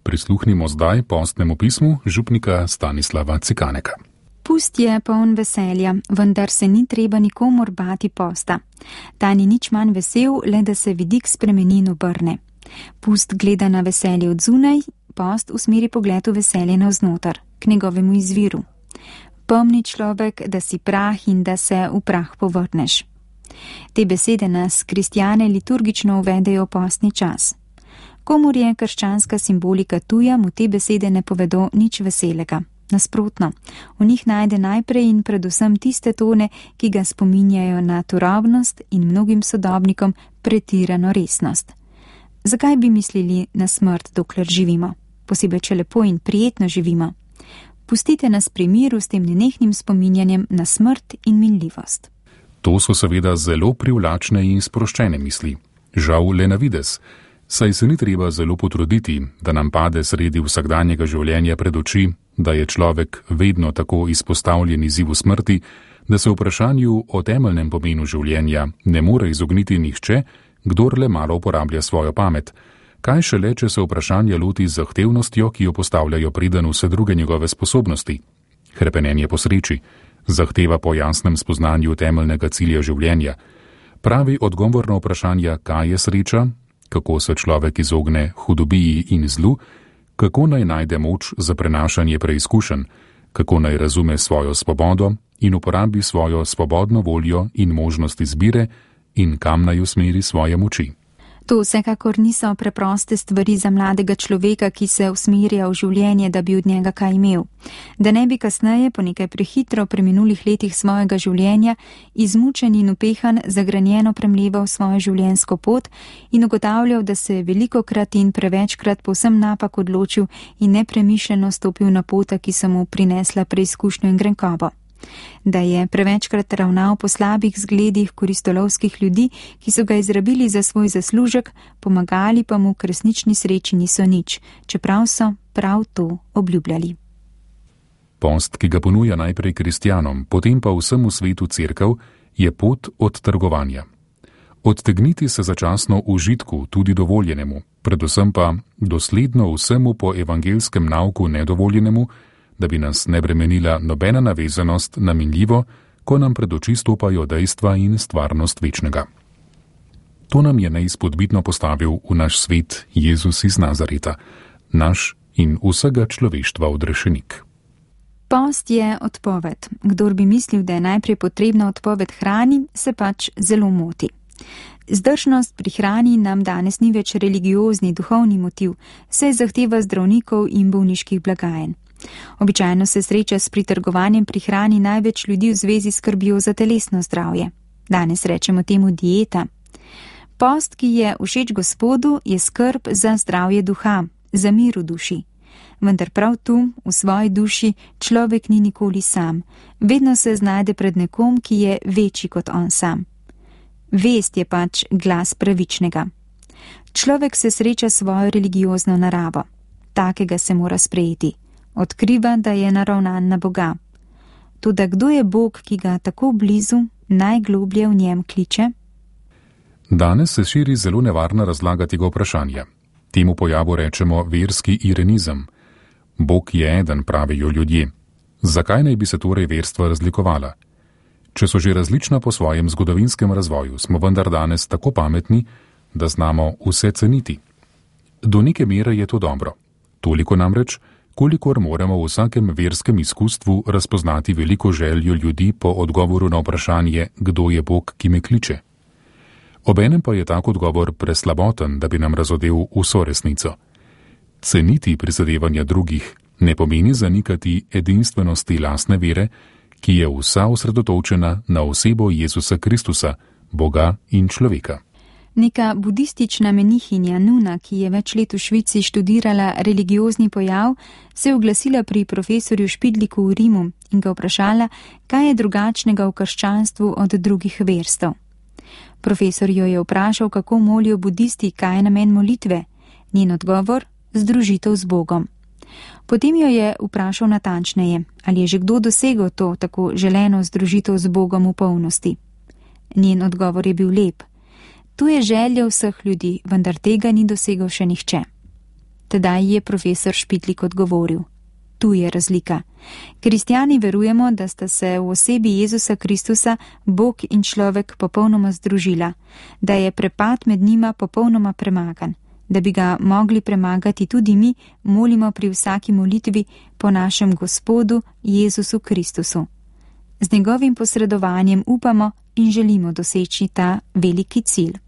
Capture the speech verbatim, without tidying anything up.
Prisluhnimo zdaj postnemu pismu župnika Stanislava Cikaneka. Pust je poln veselja, vendar se ni treba nikomur bati posta. Ta ni nič manj vesel, le da se vidik spremeni in obrne. Pust gleda na veselje od zunaj, post usmeri pogled v veselje navznoter, k njegovemu izviru. Pomni človek, da si prah in da se v prah povrneš. Te besede nas, kristjane, liturgično uvedejo postni čas. Komur je krščanska simbolika tuja, mu te besede ne povedo nič veselega. Nasprotno, v njih najde najprej in predvsem tiste tone, ki ga spominjajo na turobnost in mnogim sodobnikom pretirano resnost. Zakaj bi mislili na smrt, dokler živimo? Posebej, če lepo in prijetno živimo. Pustite nas pri miru s tem nenehnim spominjanjem na smrt in minljivost. To so seveda zelo privlačne in sproščene misli. Žal le na videz, saj se ni treba zelo potruditi, da nam pade sredi vsakdanjega življenja pred oči, da je človek vedno tako izpostavljen izzivu smrti, da se vprašanju o temeljnem pomenu življenja ne more izogniti nihče, kdor le malo uporablja svojo pamet. Kaj šele, če se vprašanje loti z zahtevnostjo, ki jo postavljajo preden vse druge njegove sposobnosti? Hrepenenje po sreči, zahteva po jasnem spoznanju temeljnega cilja življenja. Pravi odgovor na vprašanja, kaj je sreča, kako se človek izogne hudobiji in zlu, kako naj najde moč za prenašanje preizkušenj, kako naj razume svojo svobodo in uporabi svojo svobodno voljo in možnost izbire in kam naj usmeri svoje moči. To vsekakor niso preproste stvari za mladega človeka, ki se usmerja v življenje, da bi od njega kaj imel. Da ne bi kasneje, po nekaj prehitro preminulih letih svojega življenja, izmučen in upehan, zagranjeno premleval svojo življenjsko pot in ugotavljal, da se je velikokrat in prevečkrat povsem napak odločil in nepremišljeno stopil na pota, ki so mu prinesla preizkušnjo in grenkobo. Da je prevečkrat ravnal po slabih zgledih koristolovskih ljudi, ki so ga izrabili za svoj zaslužek, pomagali pa mu k resnični sreči niso nič, čeprav so prav to obljubljali. Post, ki ga ponuja najprej kristjanom, potem pa vsemu svetu cerkev, je pot od trgovanja. Odtegniti se začasno užitku, tudi dovoljenemu, predvsem pa dosledno vsemu po evangelskem nauku nedovoljenemu, da bi nas ne bremenila nobena navezanost na minljivo, ko nam pred oči stopajo dejstva in stvarnost večnega. To nam je neizpodbitno postavil v naš svet Jezus iz Nazareta, naš in vsega človeštva odrešenik. Post je odpoved. Kdor bi mislil, da je najprej potrebna odpoved hrani, se pač zelo moti. Zdržnost pri hrani nam danes ni več religiozni, duhovni motiv, saj zahteva zdravnikov in bolniških blagajn. Običajno se sreča s pritrgovanjem pri hrani največ ljudi v zvezi s skrbjo za telesno zdravje. Danes rečemo temu dieta. Post, ki je všeč Gospodu, je skrb za zdravje duha, za mir v duši. Vendar prav tu, v svoji duši, človek ni nikoli sam. Vedno se znajde pred nekom, ki je večji kot on sam. Vest je pač glas pravičnega. Človek se sreča s svojo religiozno naravo. Takega se mora sprejeti. Odkriva, da je naravnan na Boga. Toda kdo je Bog, ki ga tako blizu, najgloblje v njem kliče? Danes se širi zelo nevarna razlaga tega vprašanja. Temu pojavu rečemo verski irenizem. Bog je eden, pravijo ljudje. Zakaj naj bi se torej verstva razlikovala? Če so že različna po svojem zgodovinskem razvoju, smo vendar danes tako pametni, da znamo vse ceniti. Do neke mere je to dobro. Toliko namreč, kolikor moramo v vsakem verskem izkustvu razpoznati veliko željo ljudi po odgovoru na vprašanje, kdo je Bog, ki me kliče. Obenem pa je tak odgovor preslaboten, da bi nam razodel vso resnico. Ceniti prizadevanja drugih ne pomeni zanikati edinstvenosti lastne vere, ki je vsa osredotočena na osebo Jezusa Kristusa, Boga in človeka. Neka budistična menihinja Nuna, ki je več let v Švici študirala religiozni pojav, se je oglasila pri profesorju Špidliku v Rimu in ga vprašala, kaj je drugačnega v krščanstvu od drugih verstev. Profesor jo je vprašal, kako molijo budisti, kaj je namen molitve. Njen odgovor: združitev z Bogom. Potem jo je vprašal natančneje, ali je že kdo dosegel to tako želeno združitev z Bogom v polnosti. Njen odgovor je bil lep. Tu je želja vseh ljudi, vendar tega ni dosegel še nihče. Tedaj je profesor Špitlik odgovoril: Tu je razlika. Kristjani verujemo, da sta se v osebi Jezusa Kristusa Bog in človek popolnoma združila, da je prepad med njima popolnoma premagan. Da bi ga mogli premagati tudi mi, molimo pri vsaki molitvi po našem Gospodu Jezusu Kristusu. Z njegovim posredovanjem upamo in želimo doseči ta veliki cilj.